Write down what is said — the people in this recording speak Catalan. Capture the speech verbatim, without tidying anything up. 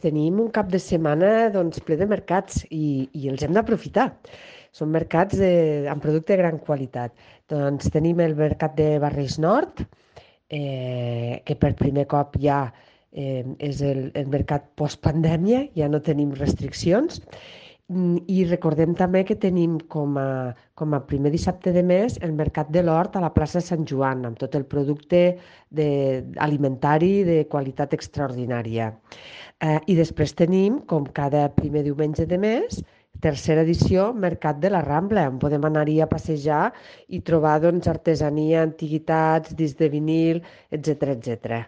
Tenim un cap de setmana doncs, ple de mercats i, i els hem d'aprofitar. Són mercats de, amb producte de gran qualitat. Doncs tenim el mercat de Barris Nord, eh, que per primer cop ja eh, és el, el mercat postpandèmia, ja no tenim restriccions. Mm, I recordem també que tenim com a, com a primer dissabte de mes el Mercat de l'Hort a la plaça Sant Joan, amb tot el producte de, alimentari de qualitat extraordinària. Eh, I després tenim, com cada primer diumenge de mes, tercera edició, Mercat de la Rambla, on podem anar-hi a passejar i trobar doncs, artesania, antiguitats, discs de vinil, etcètera etcètera.